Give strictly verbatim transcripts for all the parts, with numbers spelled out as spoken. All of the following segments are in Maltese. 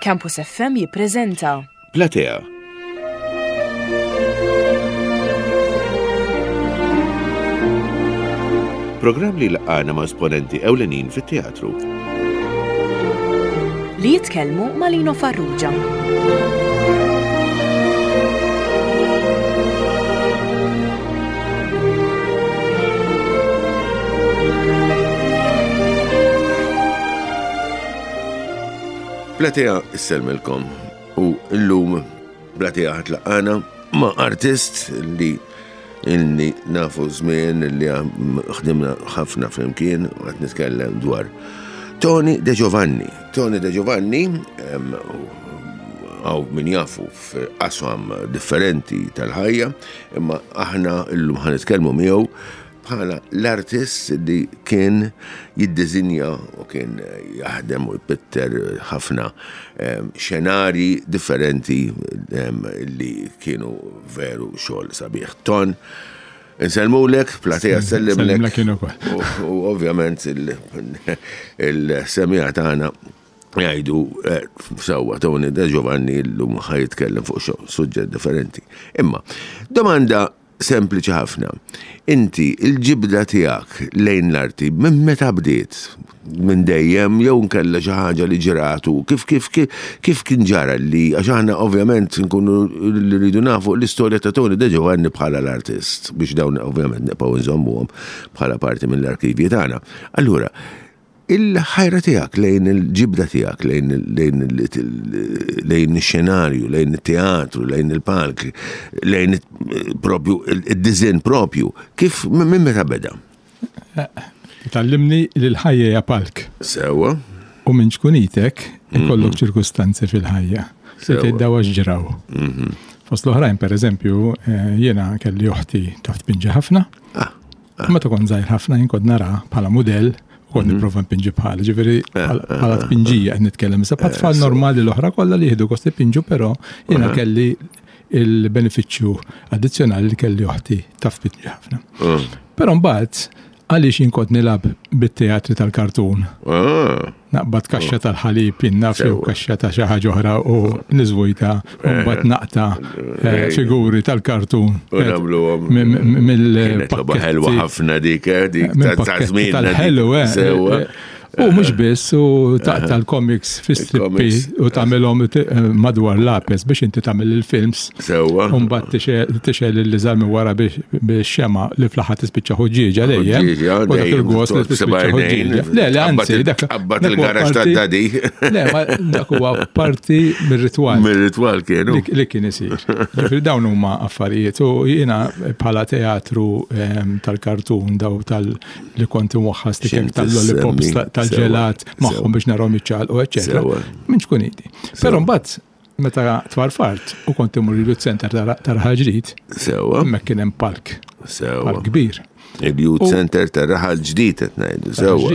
Campus F M jippreżenta Platea. Programm li laqana ma' esponenti ewlenin fit-teatru. Li jitkellmu ma' Lino Farrugia. Platea issellmilkom u llum Platea ħa tlaqana ma' artist li ilni nafu żmien li ħdimna ħafna flimkien u qed nitkellem dwar Tony De Giovanni. Tony De Giovanni għaw min jafu f'qasam differenti tal-ħajja, imma aħna llum ħa nitkellmu miegħu bħala l-artist li kien jiddisinja u kien jaħdem u jpitter ħafna xenarji differenti li kienu veru xogħol sabiħ. Ton, insellmulek, Platea sellimlek. U ovvjament il-semija tagħna jgħidu eh, sewwa Tony De Giovanni llum ħa jitkellem fuq suġġett differenti. Imma, domanda sempliċi ħafna. Inti, il-ġibda tiegħek lejn l-arti, minn meta bdiet? Minn dejjem jew nkella xi ħaġa li ġratu? Kif kif kif kien ġara li għax aħna ovvjament nkunu li rridu nafu l-istorja ta' Tony De Giovanni bħala l-artist biex dawn ovvjament nibqgħu nżommuhom bħala parti mill-arkivji tagħna. Allura, il-ħajra tiegħek lejn il-ġibda tiegħek lejn lejn lejn ix-xenarju, lejn it-teatru, lejn il-palk, lejn propju id-diżinn propju, kif minn meta beda? Tallimni li l-ħajja hija palk. Sewwa. U minn ċkunitek ikollok ċirkustanzi fil-ħajja. Se tgħid daw għax ġraw. Fost l-oħrajn, per eżempju, jiena kelli oħti taf tpinġi ħafna. Meta kont żgħir ħafna jien kont nara bħala mudell u kont nipprova npinġi bħala, ġifieri bħala tpinġija qed nitkellem. Issa bħal tfal normali l-oħra kollha li jieħdu gost ipinġu, però jiena kelli il-benefiċċju addizzjonali li kelli oħti taf tpinġi ħafna. Però mbagħad għaliex jien kont nilgħab bit-teatri tal-kartun. Naqbad kaxxa tal-ħalib, jien naf jew kaxxa ta' xi ħaġa oħra u niżvujta u mbagħad naqta figuri tal-kartun. U nagħmluhom. Mill-pakketti. Ħelwa ħafna dik, dik ta' żmien. Tal-ħelu, eh. U mhux biss, u taqta' l-comics fi strippi u tagħmilhom madwar lapes biex inti tagħmel il-films. Sewwa. U mbagħad tixgħel il-liżar minn wara biex xema li fl-aħħar tispiċċa ħuġġieġa dejjem. U dak il-gost li tispiċċa ħuġġieġa. Le, le, anzi, dak Qabbat il-garax tad-dadi. Le, ma dak huwa parti mir-ritwal. Mir-ritwal kienu. Li kien isir. Ġifieri dawn huma affarijiet u jiena bħala teatru tal-kartun daw tal li kont imwaħħas tal-lollipops tal-ġelat magħhom biex narahom jiċċaqalqu, eċċetera. Minn ċkuniti. Però mbagħad meta tfarfart u kont imur il-Youth Center ta' Raħal Ġdid, Sewwa. hemmhekk kien hemm palk. Sewwa. Palk kbir. Il-Youth Center ta' Raħal Ġdid qed ngħidu, sewwa.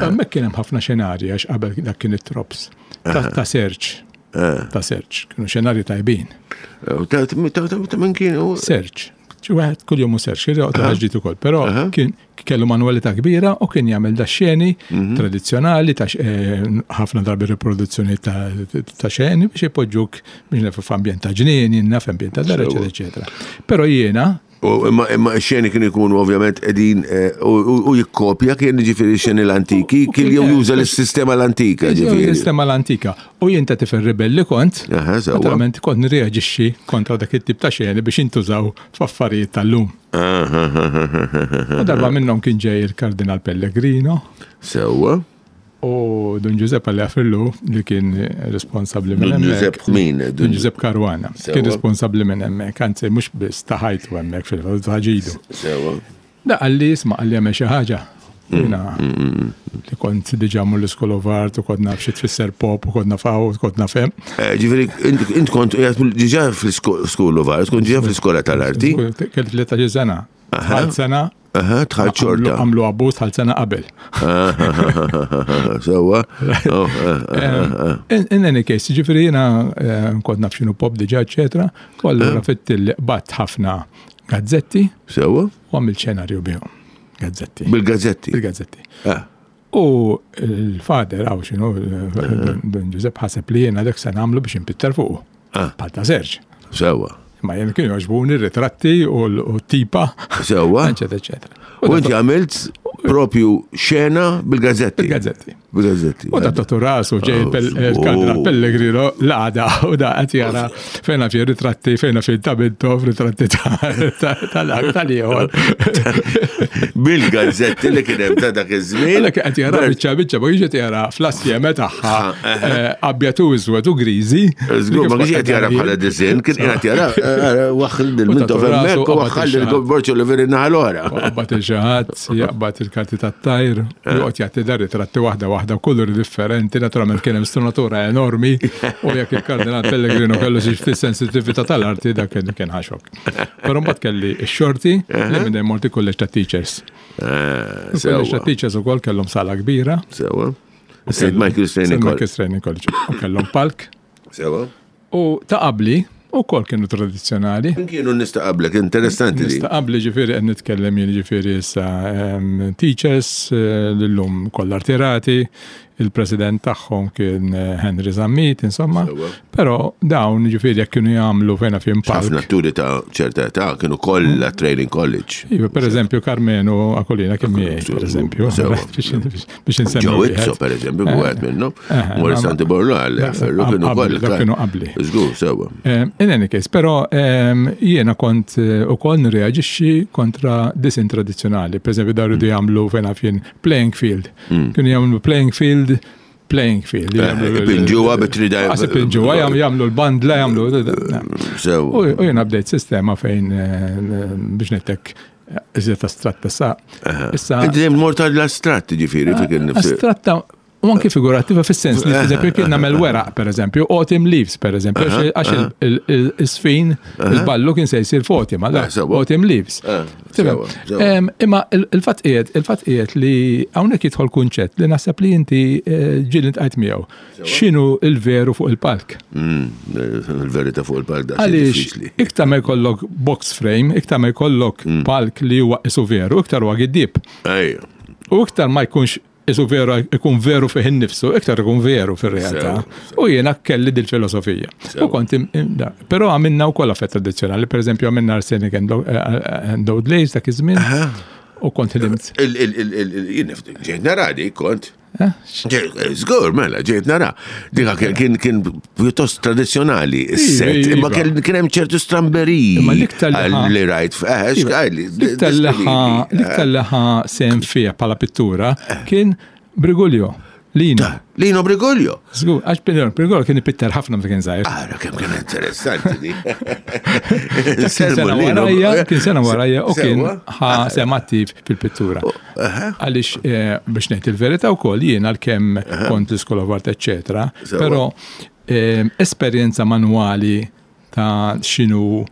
Hemmhekk kien hemm ħafna xenarji għax qabel dak kien it-trops. Ta' search. Ta' search. Kienu xenarji tajbin. Ta' min kienu? Search. Xi wieħed kuljum hu search, kien joqgħod Raħal Ġdid ukoll, però kien kellu manwalità kbira u kien jagħmel da xeni tradizzjonali ta' ħafna drabi riproduzzjoni ta' xeni biex ipoġġuk biex nafu f'ambjent ta' ġnien, jien naf ambjent ta' dar, eċetera, eċetera. Però jiena U imma imma x-xeni kienu jkunu ovvjament qegħdin u jikkopja kien ġifieri x-xeni l-antiki, kien jew juża l-sistema l-antika ġifieri. L-sistema l-antika. U jien ta' tifel ribelli kont, naturalment kont nirreaġixxi kontra dak it-tip ta' xeni biex intużaw f'affarijiet tal-lum. U darba minnhom kien ġej il-Kardinal Pellegrino. Sewwa. U Dun Giuseppe Għafirlu li kien responsabbli minn Dun hemmhekk. Giuseppe min? Dun Giuseppe Caruana. Kien responsabbli minn hemmhekk, anzi mhux biss ta' ħajtu hemmhekk fil-fatt ta' ġidu. Sewwa. Da qalli isma' qalli għamel xi ħaġa. Jiena li kont diġà mur l-School of Art u kont naf xi tfisser pop u kont naf hawn u kont naf hemm. Ġifieri int kont diġà fl-School of Art, kont diġà fl-iskola tal-arti. Kelli tlettax-il sena. Tħalt sena. Aha, tħalt xorta. Għamlu abbuż tħalt sena qabel. Sewwa. In any case, ġifieri jiena kont naf x'inhu pop diġà, eċetera. U allura fittilli qbadt ħafna gazzetti. Sewwa. U għamilt xenarju bihom. Gazzetti. Bil-gazzetti. Bil-gazzetti. U l-fader, għaw xinu, Don Giuseppe ħaseb li jena dak se nagħmlu biex inpitter fuqu. Ah. Bħal ta' Serġ. Sewwa. Ma jien kienu jogħġbuni r-ritratti u l-tipa. Sewwa. Eccetera, eccetera. U inti għamilt propju xena bil-gazzetti. Bil-gazzetti. Bil-gazzetti. U da tatu rasu ġej Oh, il-kardinal oh. Pellegrino l-għada u da għat jara fejna fi ritratti, fejna fi tabinto, ritratti tal-ieħor. Bil-gazzetti li kien hemm ta' dak iż-żmien. Għalek għat jara biċċa biċċa, ma jiġi jara fl-assjeme tagħha eh, abjad u iswed u griżi. Żgur, ma kienx qed jara bħala disinn, kien qed jara eh, waħħal il-mintof hemmhekk u waħħal il-borċu li veri naħa l-oħra. Jaqbad il-ġaħat, jaqbad il-karti tat-tajr, joqgħod jagħti dar ritratti waħda waħda kulur differenti, naturalment kien hemm strunatura enormi, u jekk il-Kardinal Pellegrino kellu xi ftit sensitività tal-arti dak kien kien ħaxok. Però mbagħad kelli x-xorti li minn hemm morti kulleġġ ta' teachers. Eh, Kulleġġ ta' Sewwa. teachers ukoll kellhom sala kbira. Sewwa. Saint Michael's Training Saint College. Michael's Training College. U kellhom palk. Sewwa. U ta' qabli ukoll kienu tradizzjonali. Min kienu nista' qablek, interessanti di. Nista' qabli ġifieri qed nitkellem jien ġifieri issa em, teachers eh, l-lum kollha artirati, il-president tagħhom kien eh, Henry Zammit, insomma. Sewwa. Però dawn ġifieri jekk kienu jagħmlu fejna fien Ħafna palk. atturi ta' ċerta età kienu kollha training college. Iva, per eżempju, Carmenu Akolina kien miegħi, per eżempju, Sewwa. biex biex insemmi. Joe wieħed. Izzo, per eżempju, wieħed minnhom. Eh, Morris ma- Santi Borlo għal ferru kienu Qabli, kollha. dak kienu qabli. Żgur, sewwa. Um, In any case, però um, jiena kont eh, ukoll nirreaġixxi kontra disin tradizzjonali. Per eżempju, daru di jagħmlu fejn fien playing field. Kienu jagħmlu playing field, playing field. Jagħmlu l- Ipinġuha bit-trida- Għas ipinġuha, jagħmlu- jagħmlu l-bandla, jagħmlu. U Sewwa. u jiena bdejt sistema fejn eh, biex nettek iżjed astratta sa. Issa Inti dejjem mort għall-astratt ġifieri fik innifsi. astratta u anki figurattiva fis-sens li per kien nagħmel weraq pereżempju, autumn leaves pereżempju, għax għax il- il- il-sfin, il-ballu kien se jsir f'autumn, allora Eh, sewwa. autumn leaves. Eh, Tifhem? sewwa, sewwa. Em, Imma il- il-fatt qiegħed, il-fatt qiegħed li hawnhekk jidħol kunċett li naħseb li inti eh, ġieli ntqajt miegħu. X'inhu il-veru fuq il-palk? Mm, Il-verità fuq il-palk da Għaliex diffiċli. iktar ma jkollok box frame, iktar ma jkollok Mm. palk li huwa isu veru, iktar huwa giddib. Ejja. U iktar ma jkunx isu veru, ikun veru fih innifsu, iktar ikun veru fir-realtà. Sew, U jiena kelli dil-filosofija. U kont im- im- da. Però għamilna wkoll affett tradizzjonali, per eżempju għamilna Arsenic and Lo- eh, and Old Lace dak iż-żmien. U kont ħdimt. Il- il- il- il- il- Jien nifti- ġejt nara dik kont. Eh? Ġej- Żgur, mela, ġejt nara. Dika kien- kien kien pjuttost tradizzjonali is-set, Iva, imma iva. kien kien hemm ċertu stramberiji. Imma l-iktar li ħa- li rajt, eh, x'għajli. L-iktar li ħa- l-iktar li ħa sem fija bħala pittura kien Brigulio, Lino. Lino Brigolio. Żgur, għax Brigulio Brigulio kien ipitter ħafna meta kien żgħir. Ara kemm kien interessanti di. Kien sena warajja, kien sena warajja u kien ħa sem attiv fil-pittura. Għaliex eh, biex ngħid il-verità wkoll jien għalkemm kont l-School of Art, eccetera, Sewwa. però eh, esperjenza manwali ta' x'inhu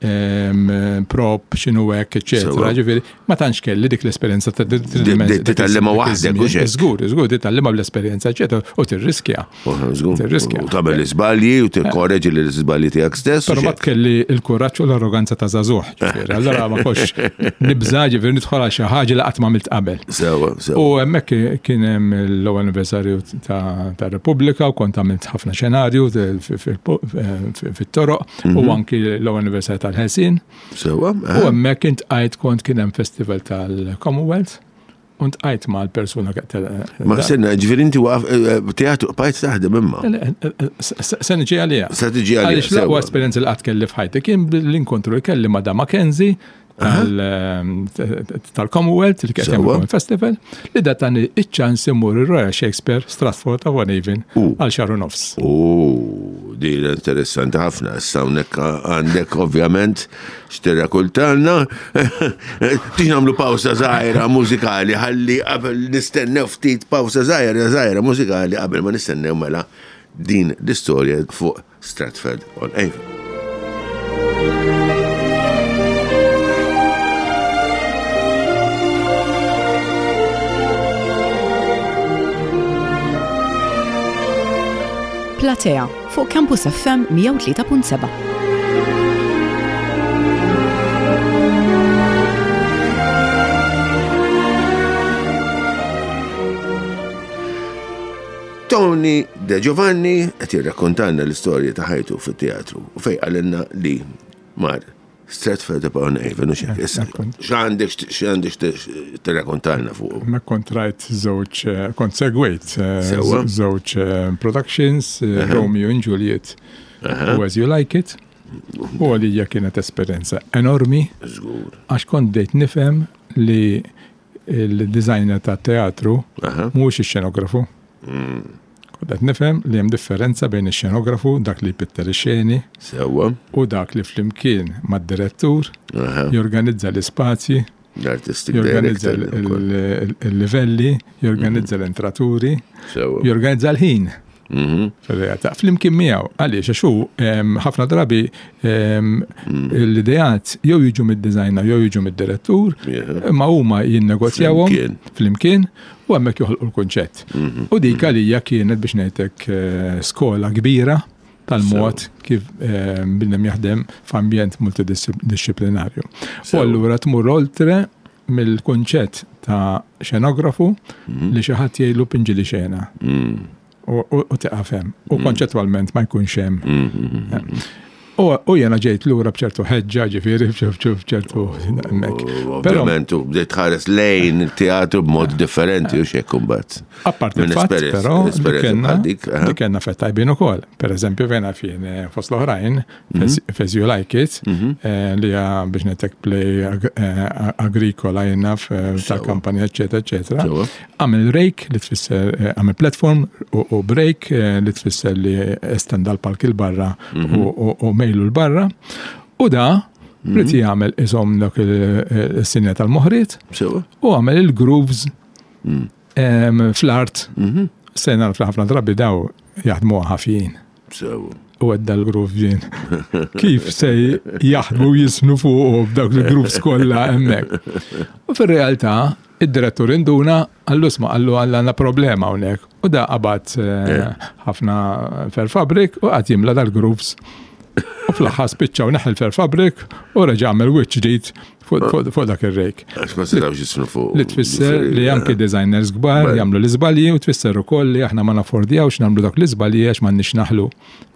ehm, prop, x'inhu hekk, eccetera. Sewwa. Ġifieri, ma tantx kelli dik l-esperjenza ta' di- titgħallimha waħdek, hux hekk? Żgur, żgur, titgħallimha bl-esperjenza, eccetera, u tirriskja. Tirriskja. U tagħmel l-iżbalji u tikkoreġi l-iżbalji tiegħek stess. Pero u ma xek. kelli il-kuraġġ u l-arroganza ta' żagħżugħ, ġifieri. Allora ma kox nibża' ġifieri nidħol għal xi ħaġa li qatt ma għamilt qabel. Sewwa, U sewwa. hemmhekk kien hemm l-ewwel anniversarju ta' ta' Repubblika u kont għamilt ħafna xenarju fit-toroq u anki l-ewwel anniversarju tal-Ħelsien. Sewwa. U eh. hemmhekk intqajt kont kien hemm festival tal-Commonwealth u ntqajt mal-persuna Ma senna, ġifieri inti waqaf eh, eh, teatru bqajt taħdem imma. Se niġi għalija. Se tiġi għalija, Għaliex l-aqwa sewwa. esperjenza li qatt kelli f'ħajti kien l-inkontru li kelli ma' da Mackenzie tal- ehm, tal-Commonwealth li kien Sewwa. hemm festival li da tani iċ-ċans imur ir-Royal Shakespeare Stratford upon Avon U. għal xahar u nofs. U din interessanti ħafna. Issa hawnhekk għandek ovvjament x'tirrakultanna. Tix nagħmlu pawsa żgħira mużikali ħalli qabel nistennew ftit pawsa żgħira żgħira mużikali qabel ma nistennew mela din l-istorja fuq Stratford on Avon. Platea fuq Campus F M mija u tlieta punt seba'. Tony De Giovanni qed jirrakkontalna l-istorja ta' ħajtu fit-teatru u fejn qalilna li mar Stratford upon Avon u xek. Issa, x'għandek x'għandek tirrakkontalna fuq? Ma kont rajt żewġ, eh, kont segwejt eh, Sewwa. żewġ eh, productions, eh, Romeo and Juliet u As You Like It. U għalija kienet esperjenza enormi Żgur. għax kont bdejt nifhem li il-designer ta' teatru Aha. mhuwiex ix-xenografu. Kont qed nifhem li hemm differenza bejn ix-xenografu, dak li jpitter ix-xeni, Sewwa. u dak li flimkien mad-direttur Aha. jorganizza l-ispazji, L-artistic jorganizza director. ukoll. il- il-livelli, jorganizza l-entraturi, Sewwa. jorganizza l-ħin. Mhm. Fil-realtà, flimkien miegħu, għaliex għax hu em, ħafna drabi em, l-ideat jew jiġu mid-designer jew jiġu mid-direttur, Yeah. imma huma jinnegozjawhom Flimkien. flimkien u hemmhekk joħolqu l-kunċett. U dik għalija kienet biex ngħidlek eh, skola kbira tal-mod kif eh, bniedem jaħdem f'ambjent multidisciplinarju. U Sew. allura tmur oltre mill-kunċett ta' xenografu li xi ħadd jgħidlu pinġili xena Mm. u u- u tiqaf hemm. U konċettwalment ma jkunx hemm. Mhm. U u jena ġejt lura bċertu ħeġġa, ġifieri bċertu bċertu hemmhekk. U Però Ovvjament, u bdejt tħares lejn il-teatru b'mod differenti u xek kumbat. apparti Minn il-fatt, esperjenza- però, li esperjenza kellna bħal dik, aha. li kellna fett tajbin ukoll. Per eżempju, vena fien eh, fost l-oħrajn, Mhm. As You Like It, eh, li hija biex netek play ag- eh, agrikola jenna tal-kampanja, eccetera, eccetera. Sewwa. Għamil rake li tfisser, eh, għamil platform u, u break eh, li tfisser li estenda l-palk il-barra Mhm. u, u, u mejlu l-barra. U da, Mhm. rrit jagħmel isom dak il-sinja tal-moħriet Sewwa. u għamel il-grooves Mm. em, fl-art. Mhm. Sena fl-ħafna drabi daw jaħdmu ħafjin. Sewwa. U għedda l-groove ġin. Kif se jaħdmu jisnu fuq b'dawk il-grooves kollha hemmhekk. U fir-realtà, id-direttur induna għallu sma għallu għandna problema hawnhekk. U da qabad eh, ħafna fair fabric u qagħad jimla dal-grooves. U fl-aħħar spiċċaw neħel fair fabric u reġa' għamel wiċċ ġdid fuq fuq- fuq dak ir-rejk. Għax ma setawx jisnu fuq. Li tfisser li anki designers kbar Beh. jagħmlu l-iżbalji u tfisser ukoll li aħna ma naffordjawx nagħmlu dak l-iżbalji għax m'għandniex naħlu,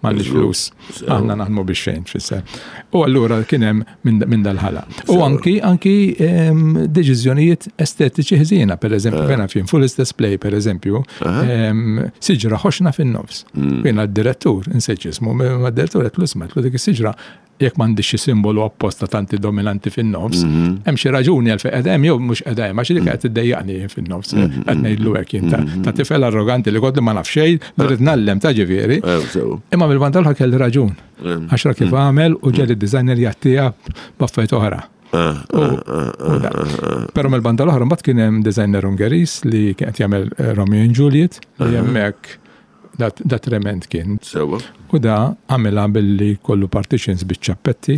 m'għandniex flus. Aħna naħdmu biex xejn tfisser. U allura kien hemm minn minn dal-ħala. U anki anki em, deċiżjonijiet estetiċi ħżiena, per eżempju, fejn fin full istess play, per eżempju, em, siġra ħoxna fin-nofs. Jiena d-direttur, insejt ismu, ma d-direttur qed l dik is-siġra jekk m'għandix xi simbolu apposta tanti dominanti fin-nofs, hemm xi raġuni għal fejn qed hemm jew mhux qed hemm għax dik qed iddejjaqni fin-nofs, qed ngħidlu hekk jien ta' ta' tifel arroganti li kont li ma naf xejn, li rrid nallem ta' ġifieri. Eh, Sewwa. Imma mill-banda l-oħra kelli raġun. Għax ra kif għamel u ġeli d-designer jagħtiha b'affarijiet oħra. Ah, U- u da. Però mill-banda l-oħra mbagħad kien hemm designer Ungeris li kien qed jagħmel eh, Romeo and Juliet li hemmhekk dat da trement kien. Sewwa. U da għamilha billi kollu partitions biċ-ċappetti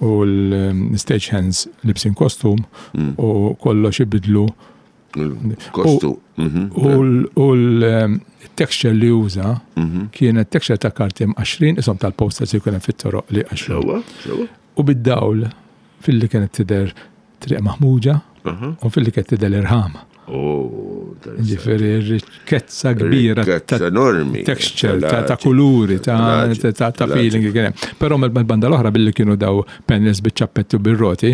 u l-stage hands libsin kostum u kollox ibidlu Kostu. Mhm. u l- u l-texture li uża kienet texture ta' karti mqaxrin isom tal-posters li kien hemm fit-toroq li qaxru. Sewwa. Sewwa. U bid-dawl filli kienet tidher triq maħmuġa u filli kienet tidher irħam. Oh, interessanti. Ġifieri rikkezza kbira Rikkezza ta' enormi. texture, ta' ta' kuluri, ta' ta' ta' ta' feeling kien hemm. Però mill-banda l-oħra billi kienu daw panels biċ-ċappetti u bir-roti,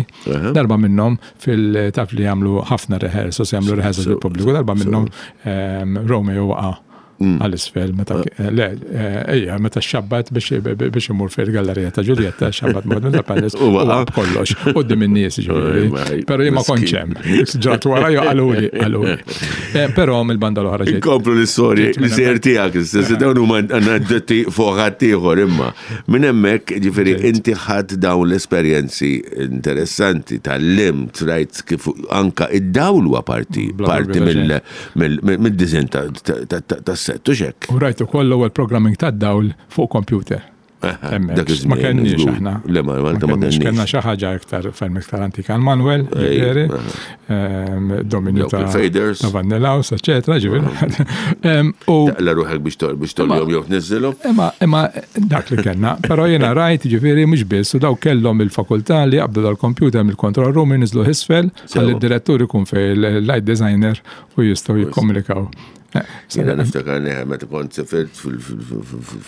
darba minnhom fil-taf li jagħmlu ħafna rehearsals, jagħmlu rehearsals bil-pubbliku, darba minnhom ehm, Romeo waqa' għal-isfel, meta le, eh, ejja, meta xabbat biex biex imur fil-gallerija ta' Giulietta, xabbat mod minn tal-panels, U u waqa'. waqa' b'kollox, u in-nies ġifieri. Ej, Però jien ma kontx hemm. Ġrat wara jew qaluli, qaluli. Eh, Però mill-banda l-oħra ġejt. Inkomplu l-istorja, Ġejt minn l-istorja tiegħek, l-istess dawn huma aneddotti fuq ħaddieħor imma. Minn hemmhekk, ġifieri inti ħadd dawn l-esperjenzi interessanti tal-limt, rajt kif anka id-dawl huwa parti Bla parti dubju ta' mill- mill- mill- mid-design tas-set, u xek. U rajt ukoll l-ewwel programming tad-dawl fuq computer. Hemmhekk. Dak iż-żmien, Ma kenniex żgur. aħna. Le, ma- Malta ma kenniex. kenniex. Kellna xi ħaġa iktar ferm iktar antika l-Manuel, Ej, ġifieri, aha. ehm, dominju Dawk ta' il-faders. ta' Vanilla House, eċetera, ġifieri. Ehm, U Taqla ruħek biex tol biex tolhom jew tniżżilhom. Imma, imma dak li kellna, però jiena rajt ġifieri mhux biss, u daw kellhom il-fakultà li jaqbdu dal-computer mill-control room jinżlu isfel, Sewa. għalli d-direttur ikun fej il-light designer u jistgħu jikkomunikaw Jiena niftakar neħe meta kont sifirt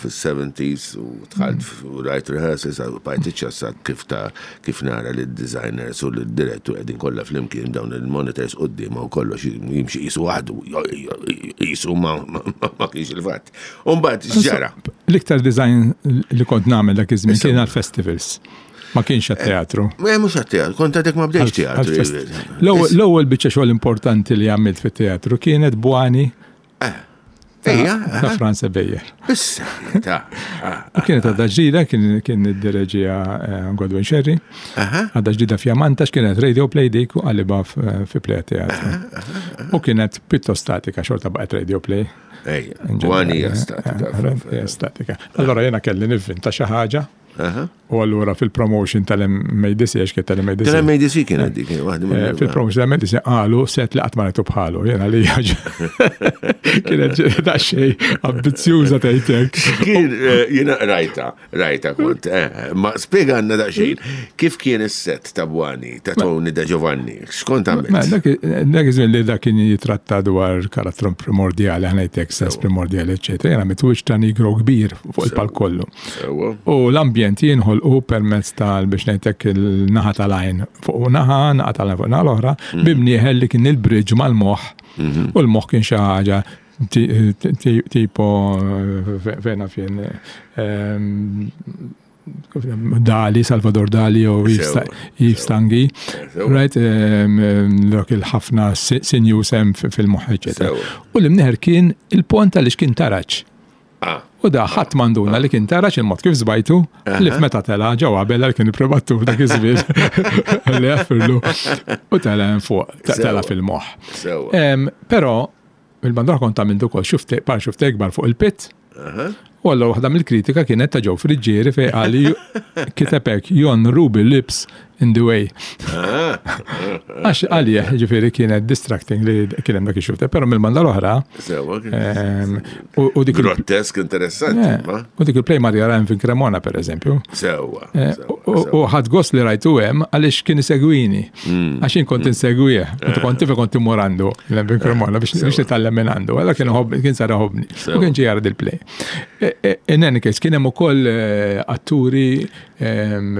fil-seventies u dħalt u rajt rehearsals, bajt iċċassat kif ta' kif nara li d-designers u l-direttur qegħdin kollha flimkien dawn il-monitors quddiem u kollox jimxi qisu waħdu, qisu ma kienx il-fatt. U mbagħad x'ġara? L-iktar design li kont nagħmel dak iż-żmien kien għall-festivals. Ma kienx għat-teatru. Ma mhux għat-teatru, kont għadek ma bdejx teatru. L-ewwel biċċa xogħol importanti li għamilt fit-teatru kienet Buani. Ejja, ta' Franz Beyer. Issa, ta' U kienet għadha ġdida, kien id-direġija Godwin Sherry. Għadha ġdida fjamanta, kienet radio play dik u qalibha fi play teatru. U kienet pjuttost statika, xorta baqgħet radio play. Ejja, Buani hija statika. Hija statika. Allora jiena kelli nivvinta xi ħaġa. U allura fil-promotion tal-M A D C, għax kien tal-M A D C. Tal-M A D C kien għaddi, kien waħda mill- Fil-promotion tal-M A D C qalu set li qatt ma rajtu bħalu, jiena li ħaġa. Kienet daqsxejn ambizzjuża tgħidlek. Kien, jiena rajta, rajta kont, eh, ma spjega għandna daqsxejn, kif kien is-set ta' Buani, ta' Tony De Giovanni, x'kont għamilt? Ma, dak, dak iż-żmien li dak kien jitratta dwar karattru primordjali, ħa ngħidlek sens primordjali, eċċetera. Jiena mitwiġ ta' nigro kbir fuq il-palk kollu. Sewwa. U l-ambjent jinħolqu permezz tal biex ngħidlek il-naħa tal-għajn fuq naħa, naħa tal-għajn fuq naħa l-oħra, Mm. bimnieħel li kien il-bridge mal-moħħ. Mm-hmm. U l-moħħ kien xi ħaġa ti-, ti-, ti-, tipo, fe-, fejna fien, ehm, Dali, Salvador Dali u Yves Sewa, Yves sewa. Tanguy. Sewa. Right, ehm, ehm, dak il-ħafna si-, sinjus hemm fi-, fil-moħħ, eċċetera. Sewa. U l-imnieħer kien il-pont għaliex kien taraġ. Ah. U da ħadd m'għanduna li kien taraġ il-mod kif żbajtu, li f'meta tela' ġewwa qabel għal kien ippremattur dak iż-żmien. Li jaffirlu. U tela' hemm fuq, ta-, tela' Sewa. fil-moħħ. Sewa. Em, però il-bandra kont għamiltu ukoll xufte, par xufte ikbar fuq il-pit. Aha. U allura waħda mill-kritika kienet ta' Joe Friggieri fejn qal li kiteb hekk, Jon Ruby lips in the way. Ah. Għax għalih, ġifieri kienet distracting li kien hemm dak ix-xufte, però mill-banda l-oħra, Sewa, kien ehm, u, u dik il- Grottesk interessanti, Eh, ma? U dik il-play Maria Ryan fin Cremona, per eżempju. Sewa, Eh, sewa, u, u, sewa. U ħadd gost li rajtu hemm għaliex kien isegwini. Mm. Għax jien kont insegwih. Meta kont tifel kont immur għandu l-hemm fin Cremona biex Sewa. biex nitgħallem minn għandu. Allora kien iħobb, kien sar iħobbni. U Sewa. kien ġej jara dil-play. E, e, in any case, kien hemm ukoll, eh, atturi, ehm,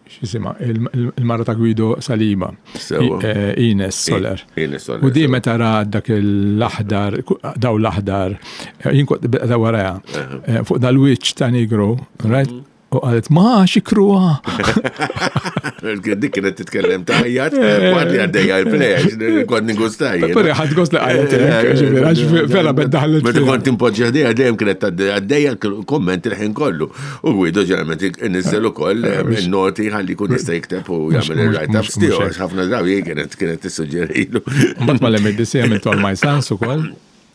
x'jisimha, il-, il-, il-mara ta' Guido Saliba, Sewa. I-, eh, Ines Soler. I-, Ines Soler, U di sewa. meta ra dak l-aħdar, ku-, daw l-aħdar, eh, jien kont beda waraja, Aha. eh, fuq dal-wiċċ ta' Nigro, right? Mhm. U qalet, ma, xikruha. Dik kienet titkellem ta' ħajjat, waqt li għaddejja il-play, għax kont ningustaj, jiena. Però ħadd gost li qalet hekk, ġifieri, għax vera bed daħlet Meta fiha. kont impoġġi ħdejja, dejjem kienet tgħaddi għaddejja l-komment il-ħin kollu. U Guido ġeneralment inniżżel ukoll, Eh, mhux noti ħalli jkun jista' jikteb u mhux jagħmel mhux il-write-ups mhux tiegħu, mhux għax ħafna drabi kienet, kienet tissuġġerilu. Mbagħad mal-M A D C għamilt All My Sons ukoll.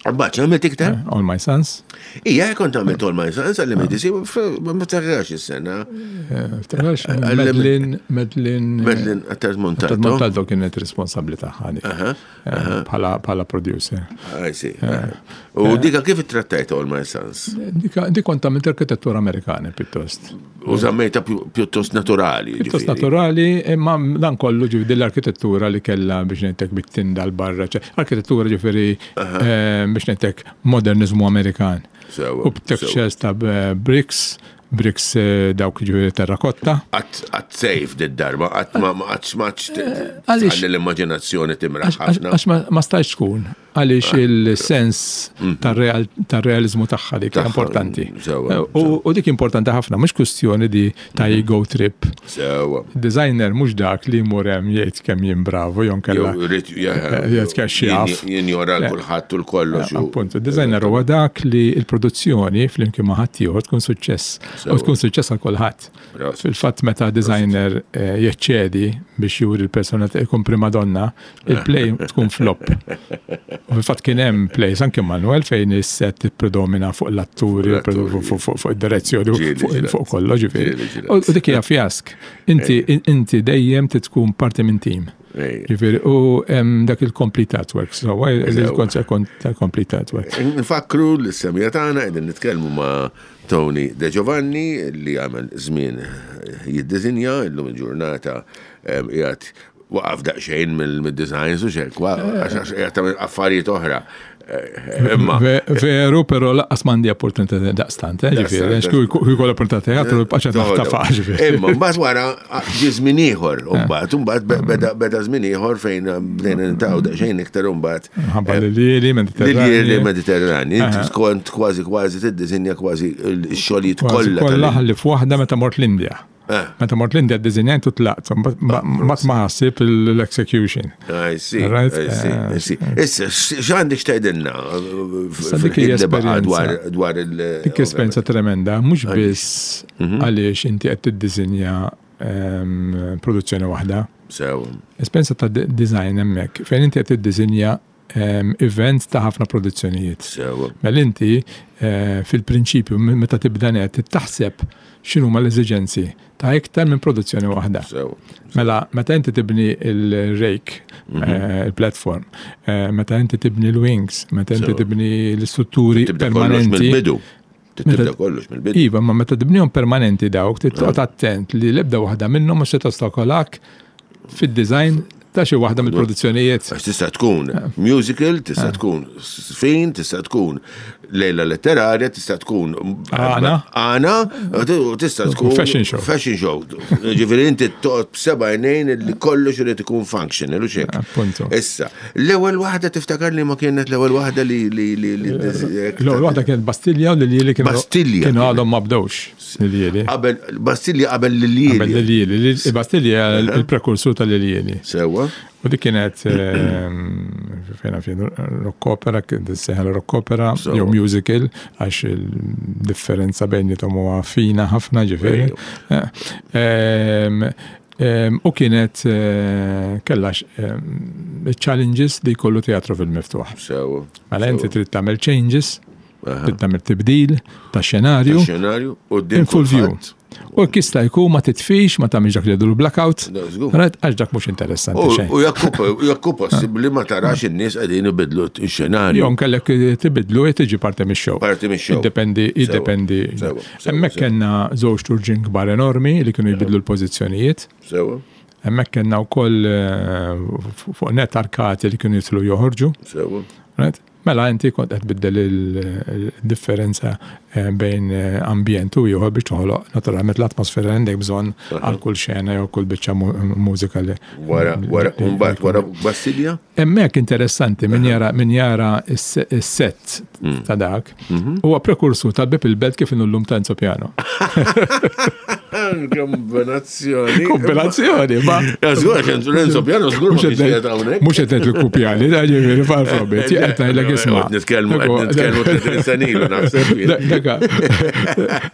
Mbagħad għamilt iktar? Eh, All My Sons. Ija, kont għamilt All My Sons, għall-M A D C, ma tarax is-sena. Eh, tarax, Eh, għall-M Madeline, Madeline, Madeline Attard Montalto. Attard Montalto kienet responsabbli tagħha dik. Aha, Eh, aha. bħala, bħala producer. I see. U dika kif ittrattajt All My Sons? Dika, dik kont għamilt arkitettura Amerikana pjuttost. U żammejta pju-, pjuttost naturali, Pjuttost ġifieri. naturali, imma dan kollu ġifieri din l-arkitettura li kellha biex ngħidlek bit-tinda l-barra, ċe, arkitettura ġifieri, Aha. eh, biex ngħidlek modernizmu Amerikan. Sewa, U b'textures ta' b-, bricks, bricks, eh, dawk ġifieri terrakotta. Għat, għat safe dit darba, għat ma, ma, għat smaċ t-, Eh, għaliex tħalli l-immaġinazzjoni timraħ Għax, għax, ħafna. għax ma, ma stajx tkun, għaliex Ah. il-sens Mhm. tar-real-, tar-realizmu tagħha dik Tagħha, importanti. sewa, Eh, u, sewa. u dik importanti ħafna, mhux kwestjoni di ta' Mhm. ego trip. Sewa. Designer mhux dak li jmur hemm jgħid kemm jien bravo, jew nkella Jew rrit, ja, eh, jgħid kemm xi jaf. jien-, jinjora Eh, l-kulħadd u l-kollox u- Appunto, designer huwa dak li l-produzzjoni flimkien ma' ħaddieħor tkun suċċess. U Sewa. tkun suċċess għal kulħadd. Prosit. Fil-fatt meta designer, eh, jeċċedi biex juri l-persona ikun prima donna, il-play tkun flop. U fil-fatt kien hemm plays anke Manuel fejn is-set ippredomina fuq l-atturi, L-atturi. fuq, fuq, fuq id-direzzjoni, Ġieli fuq, ġieli. fuq kollox, ġifieri. Ġieli ġieli. U dik hija fjask. Inti, Ejja. inti dejjem tkun parti minn team. Ejja. Ġifieri, u hemm dak il-complete artwork, so, għaj, Sewa. il-koncept tal-complete artwork. Nfakru l-semija tagħna qegħdin nitkellmu ma' Tony De Giovanni li għamel żmien jiddisinja illum il-ġurnata, em, qiegħed Waqaf daqsxejn mill-designs u xek, għax tagħmel affarijiet oħra. Eh, Imma Veru, pero lanqas m'għandi opportunità daqstant, eh, ġifieri, Daqstant. kieku opportunità teatru, bqaċa naħtafa, ġifieri. Imma mbagħad wara ġie żmien ieħor, u mbagħad mbagħad beda beda żmien ieħor fejn bdejna niltaqgħu daqsxejn iktar u mbagħad. Ħabba l-Lili, Lili Mediterrani. Mediterrani. Inti kont kważi kważi tiddisinja kważi x-xogħlijiet Kważi kollha. Kollha tal- ħalli f'waħda meta mort l-Indja. Eh. Meta mort l-Indja ddisinjajt u tlaqt, mat ma ħassib l-execution. I see, Right, I see, I see. Issa, x'għandek x'tgħidilna? Issa dik hija dwar esperjenza. dwar il- Dik esperjenza tremenda, mhux biss Mhm. għaliex inti qed tiddisinja ehm, produzzjoni waħda. Sew. Esperjenza ta' de- design hemmhekk, fejn inti qed tiddisinja ehm, event ta' ħafna produzzjonijiet. Sew. Mela inti eh, fil-prinċipju m- meta tibda net taħseb x'inhuma l-eżiġenzi ta' iktar minn produzzjoni waħda. Sew. Mela, meta inti tibni il-rake, Mhm. eh, il-platform, eh, meta inti tibni l-wings, meta inti Sew. tibni l-istrutturi Tibda kollox permanenti. mill-bidu. Tibda Meta- kollox mill-bidu. Iva, ma meta tibnihom permanenti dawk, titqgħod attent li l-ebda waħda minnhom mhux se tostakolak fid-design ta' xi waħda mill-produzzjonijiet. Għax tista' tkun musical, tista' tkun sfin, tista' tkun lejla letterarja, tista' tkun Għana. Għana, u tista' tkun Fashion show. Fashion show. Ġifieri inti toqgħod b'seba' għajnejn li kollox irid ikun functional u xek. Appunto. Issa, l-ewwel waħda tiftakar li ma kienet l-ewwel waħda li li li li L-ewwel waħda kienet Bastilja u l-Lili kienu Bastilja kienu kienet. għadhom ma bdewx l-Lili. Qabel Bastilja qabel Qabel l-Lili. l-Lili. Bastilja il-prekursur tal-Lili. Sewwa. U dik kienet ehm, fejna fejn rock opera, kien seħal rock opera, So. jew musical, għax il-differenza bejnietom huwa fina ħafna ġifieri. Eh, ehm, ehm, U kienet eh, kellha ehm, challenges li jkollu teatru fil-miftuħ. Sewwa. Mela inti trid tagħmel changes, Aha. trid tagħmel tibdil ta' xenarju Xenarju u in full view. U jista' jkun ma titfix, ma tagħmilx dak li jgħidu blackout, No, żgur. right? Għax dak mhux interessanti xejn. U jekk jekk possibbli ma tarax in-nies qegħdin ibidlu x-xenarju. Jon kellek tibidlu e tiġi parti mix-show. Parti mix-show. Jiddependi, jiddependi. Sewa, sewa, Hemmhekk sewa. kellna żewġ turġin kbar enormi li kienu jbidlu l-pożizzjonijiet. Sewa, Hemmhekk kellna wkoll eh, fuq net arkati li kienu jidħlu joħorġu. sewa. Right? Mela inti kont qed tbiddel il-differenza eh, bejn eh, ambjent u ieħor biex toħloq naturalment l-atmosfera li għandek bżonn għal kull xena jew kull biċċa mu- mużika li. Wara, wara, li- mbagħad wara Bastilja? Hemmhekk interessanti min jara min jara is-set Mm. ta' dak Mhm. huwa prekursur tal-Bib il-Belt kif inhu llum ta' Enzo Piano. Kombinazzjoni. Kombinazzjoni, ma Ja, żgur, għax Renzo Piano żgur ma kienx qiegħed hawnhekk. Mhux qed ngħid il-kupjali, da ġifieri far from it, qed ngħidlek isma'. Qed Nitkellmu, qed nitkellmu tletin sena ilu naħseb. Da- Daka,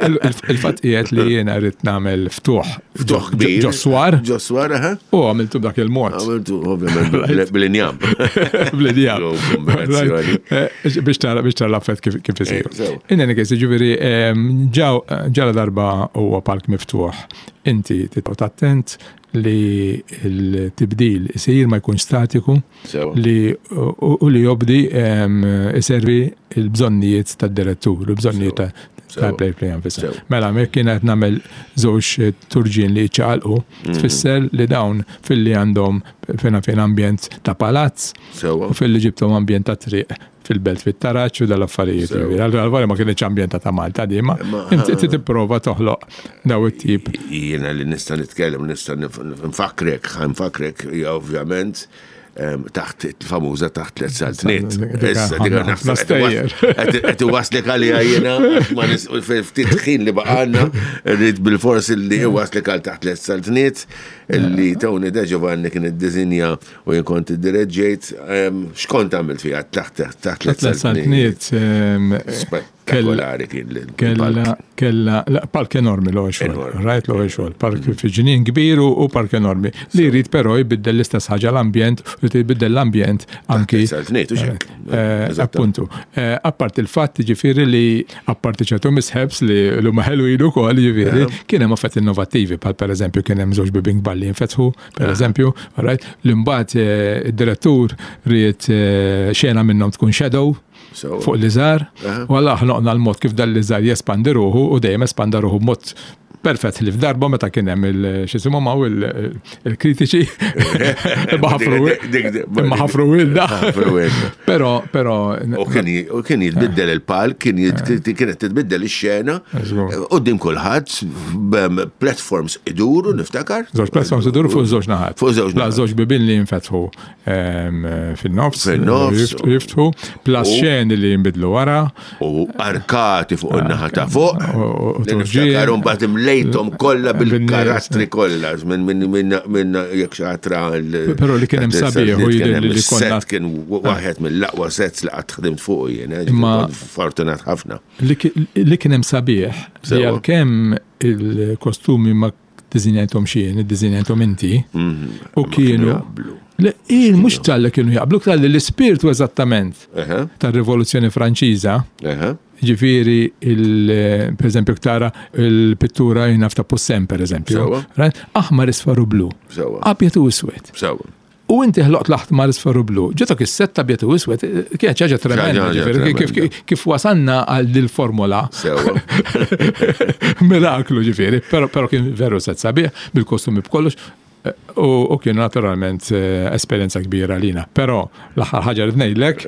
il- il-fatt qiegħed li jiena rrid nagħmel ftuħ. Ftuħ kbir. Ġo swar Ġo swar, aha. u għamiltu b'dak il-mod. Għamiltu, ovvjament, bil-injam. Bl-idea. Jo, kombinazzjoni. Eh, Biex tara biex tara l-affett kif kif isir. Eh, sew. In any case, ġifieri ehm, ġaw ġala darba huwa palk miftuħ. Inti titqgħod attent li l-tibdil isir ma jkunx statiku Sewa. li u u li jobdi ehm, iservi il-bżonnijiet tad-direttur, il-bżonnijiet ta' Sewa. tal-play play nfisha. Sewa. Mela, mek kienet nagħmel żewġ turġin li ċaqalqu, Mhm. tfisser li dawn filli għandhom fejn fejn ambjent ta' palazz Sewa. u filli ġibtom ambjent ta' triq fil-belt fit-taraċ u dal-affarijiet. Sewa. Ġifieri, Għal-għal ma kienx ambjent ta' Malta di, ma Ma- inti tipprova toħloq daw it-tip. Jiena li nista' nitkellem, nista' nif- nfakrek, nfakrek, hija ovvjament em, taħt il-famuża taħt tliet saltniet. Dik Issa dik ħafna naħseb stejjer. qed qed iwaslek għalija jiena għax ma nis ftit ħin li baqgħalna rrid bil-fors li iwaslek għal taħt tliet saltniet li Tony De Giovanni kien iddisinja u jien kont iddireġġejt em, x'kont għamilt fiha taħt taħt tliet Tliet saltniet. saltniet ehm, Spettakolari kien l- Kella, kella, la, park enormi l xogħol, Enormi. right l xogħol, park fi ġnien kbir u u park enormi. Li jrid però jbiddel l-istess ħaġa l-ambjent, u jrid jbiddel l-ambjent anki. Saltniet, u xek. Eh, Eżatt. Appuntu. Eh, Apart il-fatt ġifieri li apparti ċertu misħebs li l-huma ħelwin ukoll ġifieri, kien hemm affett innovattivi bħal pereżempju kien hemm żewġ bibien kbar li jinfetħu, pereżempju, right, li mbagħad eh, id-direttur ried eh, xena minnhom tkun shadow So, fuq l-iżar, Aha. u għalla ħloqna l-mod kif dan l-iżar jespandi ruħu u dejjem espanda ruħu b'mod Perfett li f'darba meta kien hemm il-xisimhom hawn il-kritiċi imma ħafru imma ħafru wilda. Però però U kien jitbiddel il-palk, kien kienet titbiddel ix-xena quddiem kulħadd, platforms iduru, niftakar. Żewġ platforms iduru fuq żewġ naħat. Fuq żewġ La żewġ bibien li jinfetħu fin-nofs. Fin-nofs. Jiftħu, plus xeni li jinbidlu wara. U arkati fuq in-naħa ta' fuq. Niftakar mbagħad imlejthom kollha bil-karattri kollha minn minn minn minn jekk xi ħadd ra Però li kien hemm sabiħ u jidher li konna set kien waħed mill-aqwa sets li qatt ħdimt fuq jien, Imma fortunat ħafna. Li kien hemm sabiħ li għalkemm il-kostumi ma ddisinjajthom xejn, iddisinjajthom inti, u kienu Il mhux talli kienu jaqblu, talli l-ispirtu eżattament tar-Rivoluzzjoni Franċiża. Ġifieri, per eżempju, tara il-pittura jien ta' Poussin, per eżempju. Aħmar, isfar u blu. Abjad u iswed. U inti ħloqt l-aħmar, isfar u blu. Ġetok is-sett abjad u iswed, kienet ħaġa tremenda, ġifieri, kif wasanna għal dil-formula. Miraklu ġifieri, però kien veru set sabiħ, bil-kostumi b'kollox. U kienu naturalment esperjenza kbira lina. Però l-aħħar ħaġa li ngħidlek,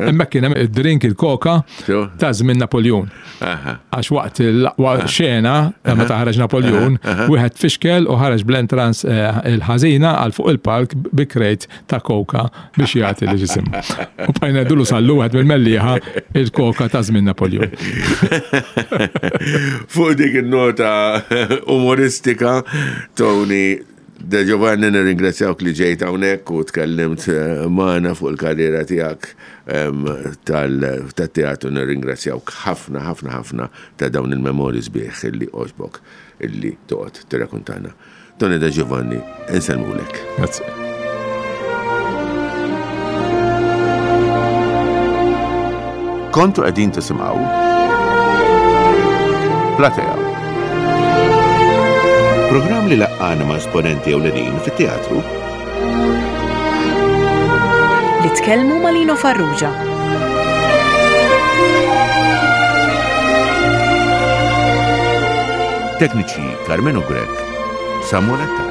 hemmhekk kien hemm id-drink il-koka ta' żmien Napoleon. Għax waqt l-aqwa xena meta ħareġ Napoleon, wieħed fixkel u ħareġ bl-entrance il-ħażina għal fuq il-palk bi crate ta' koka biex jagħti li ġisim. U bqajna dulu sallu wieħed mill-Mellieħa il-koka ta' żmien Napoleon. Fuq dik il-nota umoristika, Tony De Giovanni, nirringrazzjawk li ġejt hawnhekk u tkellimt magħna fuq il-karriera tiegħek tat-teatru. Nirringrazzjawk ħafna ħafna ħafna ta' dawn il-memori sbieħ illi għoġbok illi toqgħod tirrakuntana. Tony De Giovanni, insellmulek. Grazie. Kontu qegħdin tisimgħu Platea. Programm li laqqana ma' esponenti ewlenin fit-teatru. Li tkellmu ma' Lino Farrugia. Tekniċi Carmenu Grech, Samuel Attard.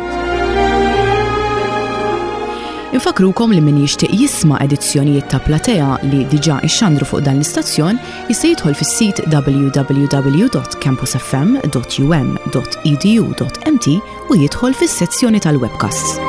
Infakrukom li min jixtieq jisma' edizzjonijiet ta' Platea li diġà ixxandru fuq dan l-istazzjon jista' jidħol fis-sit w w w dot campusfm dot u m dot e d u dot m t u jidħol fis-sezzjoni tal-webcasts.